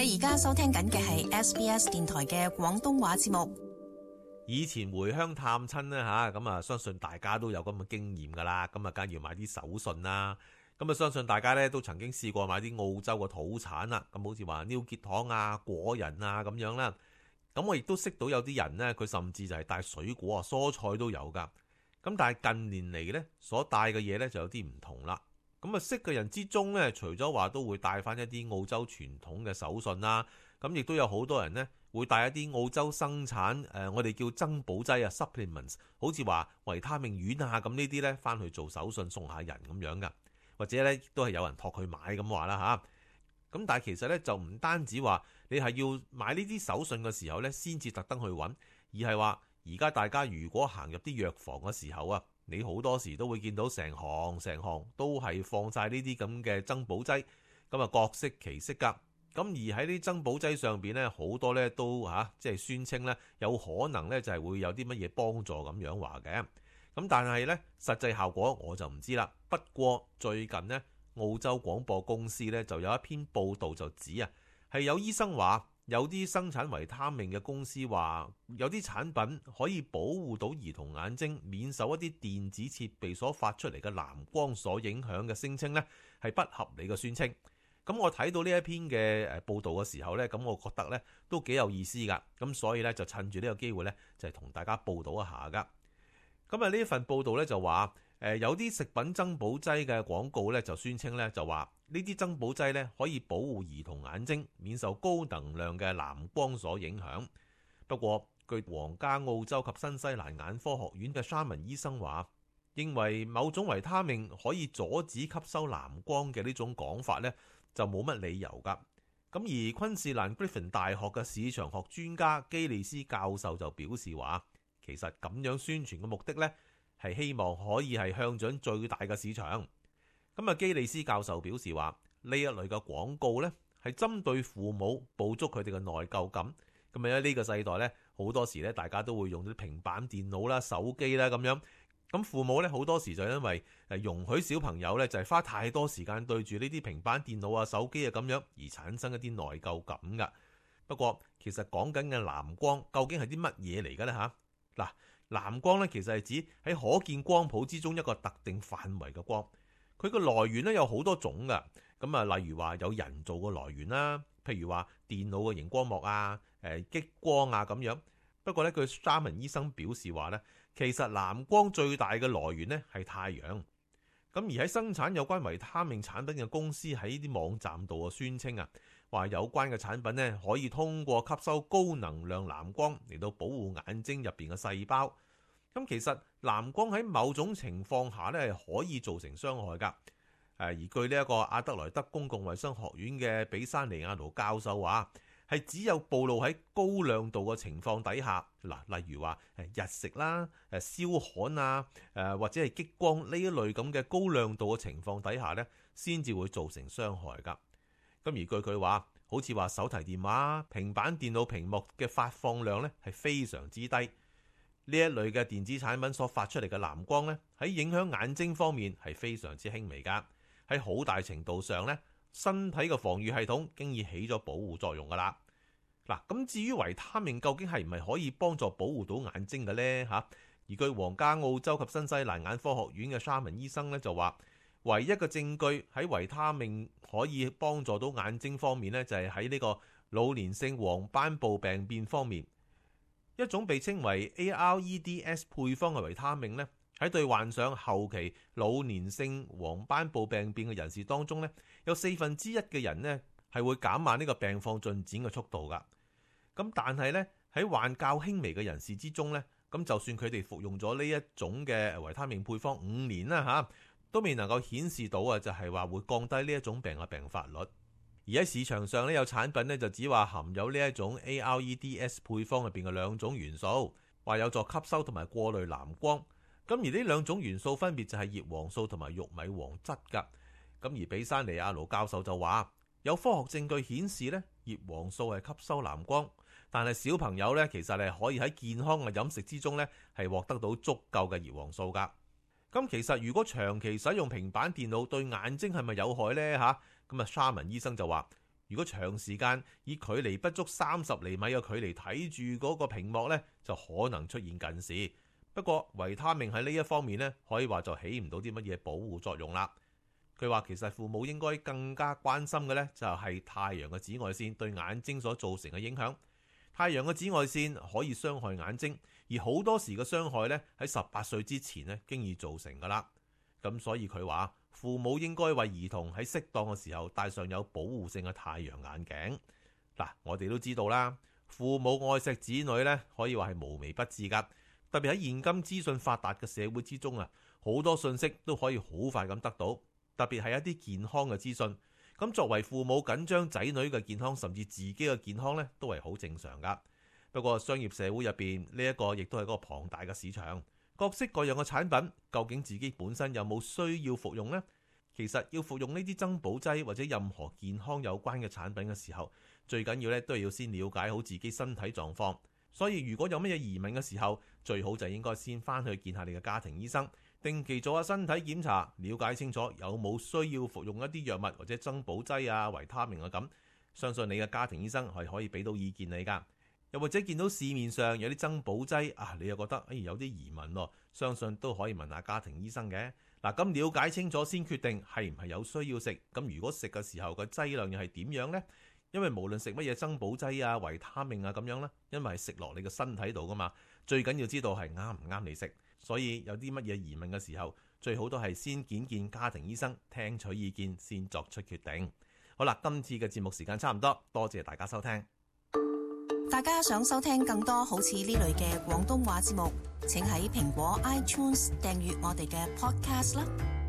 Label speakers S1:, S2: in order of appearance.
S1: 你而家收聽緊嘅係 SBS 電台嘅廣東話節目。
S2: 以前回鄉探親咧咁啊，相信大家都有咁嘅經驗噶啦。咁啊，梗係要買啲手信啦。咁啊，相信大家咧都曾經試過買啲澳洲嘅土產啦。咁好似話鳥結糖啊、果仁啊咁樣啦。咁我亦都識到有啲人呢，佢甚至就係帶水果啊、蔬菜都有噶。咁但係近年嚟呢，所帶嘅嘢呢就有啲唔同啦。咁啊，識嘅人之中呢，除咗話都會帶翻一啲澳洲傳統嘅手信啦，咁亦都有好多人呢會帶一啲澳洲生產我哋叫增補劑啊 supplements， 好似話維他命丸啊咁呢啲呢翻去做手信送下人咁樣噶，或者呢都係有人託佢買咁話啦吓。咁但係其實呢，就唔單止話你係要買呢啲手信嘅時候呢先至特登去揾，而係話而家大家如果行入啲藥房嘅時候啊，你好多時都會見到成行都係放晒呢啲咁嘅增補劑，咁啊各式其式噶。咁而喺啲增補劑上邊呢，好多呢都即係宣稱呢有可能呢就係會有啲乜嘢幫助咁樣話嘅。咁但係呢實際效果我就唔知啦。不過最近呢，澳洲廣播公司呢就有一篇報道就指啊，係有醫生話有啲生產維他命嘅公司話有啲產品可以保護到兒童眼睛免受一啲電子設備所發出嚟嘅藍光所影響嘅聲稱呢係不合理嘅宣稱。咁我睇到呢一篇嘅報道嘅時候呢，咁我覺得呢都幾有意思噶。咁所以呢，就趁住呢個機會呢，就係同大家報道一下噶。咁啊呢份報道呢，就話有啲食品增補劑嘅廣告呢，就宣稱呢，就話呢啲增補劑呢可以保護兒童眼睛免受高能量嘅藍光所影響。不過據皇家澳洲及新西蘭眼科學院嘅沙文醫生話，認為某種維他命可以阻止吸收藍光嘅呢種講法呢，就冇乜理由噶。咁而昆士蘭 Griffin 大學嘅市場學專家基利斯教授就表示話，其實咁樣宣傳嘅目的呢，係希望可以係向準最大嘅市場。咁啊，基利斯教授表示話，呢一類嘅廣告呢，係針對父母捕捉佢哋嘅內疚感。咁喺呢個世代呢，好多時呢，大家都會用啲平板電腦啦、手機啦咁樣。咁父母呢，好多時就因為容許小朋友呢，就係花太多時間對住呢啲平板電腦啊、手機啊咁樣，而產生一啲內疚感噶。不過其實講緊嘅藍光究竟係啲乜嘢嚟嘅呢？嗱，藍光呢，其實係指喺可見光譜之中一個特定範圍嘅光。佢個來源呢，有好多種噶。咁啊，例如話有人造嘅來源啦，譬如話電腦嘅熒光幕啊、激光啊咁樣。不過呢，據沙文醫生表示話呢，其實藍光最大嘅來源呢係太陽。咁而喺生產有關維他命產品嘅公司喺呢啲網站度啊宣稱啊，話有關嘅產品呢可以通過吸收高能量藍光嚟到保護眼睛入邊嘅細胞。咁其實藍光喺某種情況下呢係可以造成傷害噶。而據呢一個阿德萊德公共衛生學院嘅比山尼亞奴教授話，係只有暴露喺高亮度嘅情況底下，例如話日食啦、燒焊啊、或者係激光呢一類咁嘅高亮度嘅情況底下呢，先至會造成傷害噶。咁而據佢話，好似話手提電話、平板電腦屏幕嘅發放量呢係非常之低。呢一類嘅電子產品所發出嚟嘅藍光呢，喺影響眼睛方面係非常之輕微噶。喺好大程度上呢，身體嘅防禦系統經已起咗保護作用噶啦。咁至於維他命究竟係唔係可以幫助保護到眼睛嘅呢？而據皇家澳洲及新西蘭眼科學院嘅沙文醫生呢，就話，唯一嘅證據喺維他命可以幫助到眼睛方面呢，就係喺呢個老年性黃斑部病變方面，一種被稱為 AREDS 配方嘅維他命呢，喺對患上後期老年性黃斑部病變嘅人士當中呢，有1/4嘅人呢係會減慢呢個病況進展嘅速度噶。咁但係呢，喺患較輕微嘅人士之中呢，咁就算佢哋服用咗呢一種嘅維他命配方5年啦都未能夠顯示到就係話會降低呢一種病嘅病發率。而喺市場上呢，有產品呢就只話含有呢一種 AREDS 配方入邊嘅2種元素，話有助吸收同埋過濾藍光。咁而呢2種元素分別就係葉黃素同埋玉米黃質噶。咁而比山尼亞奴教授就話，有科學證據顯示呢，葉黃素係吸收藍光，但係小朋友呢，其實係可以喺健康嘅飲食之中呢，係獲得到足夠嘅葉黃素噶。咁其實如果長期使用平板電腦對眼睛係咪有害呢？咁啊，沙文醫生就話，如果長時間以距離不足30厘米嘅距離睇住嗰個屏幕呢，就可能出現近視。不過維他命喺呢一方面呢，可以話就起唔到啲乜嘢保護作用啦。佢話其實父母應該更加關心嘅呢，就係太陽嘅紫外線對眼睛所造成嘅影響。太陽嘅紫外線可以傷害眼睛，而好多時嘅傷害呢，喺18歲之前呢，經已造成噶啦。咁所以佢話父母應該為兒童喺適當嘅時候戴上有保護性嘅太陽眼鏡。嗱，我哋都知道啦，父母愛錫子女呢，可以話係無微不至噶。特別喺現今資訊發達嘅社會之中啊，好多信息都可以好快咁得到，特別係一啲健康嘅資訊。咁作為父母緊張仔女嘅健康，甚至自己嘅健康呢，都係好正常噶。不過商業社會入邊呢一個亦都係個龐大嘅市場。各式各樣嘅產品，究竟自己本身有冇需要服用呢？其實要服用呢啲增補劑或者任何健康有關嘅產品嘅時候，最緊要咧都係要先了解好自己身體狀況。所以如果有乜嘢疑問嘅時候，最好就應該先翻去見下你嘅家庭醫生，定期做下身體檢查，了解清楚有冇需要服用一啲藥物或者增補劑啊、維他命啊咁。相信你嘅家庭醫生係可以俾到意見你噶。又或者見到市面上有啲增補劑啊，你又覺得有啲疑問喎，相信都可以問下家庭醫生嘅。嗱，咁了解清楚先決定係唔係有需要食。咁如果食嘅時候個劑量又係點樣呢？因為無論食乜嘢增補劑啊、維他命啊咁樣呢，因為係食落你個身體度噶嘛，最緊要知道係啱唔啱你食。所以有啲乜嘢疑問嘅時候，最好都係先見家庭醫生，聽取意見先作出決定。好啦，今次嘅節目時間差唔多，多謝大家收聽。
S1: 大家想收聽更多好似呢類嘅廣東話節目，請喺蘋果 iTunes 訂閱我哋嘅 Podcast 啦。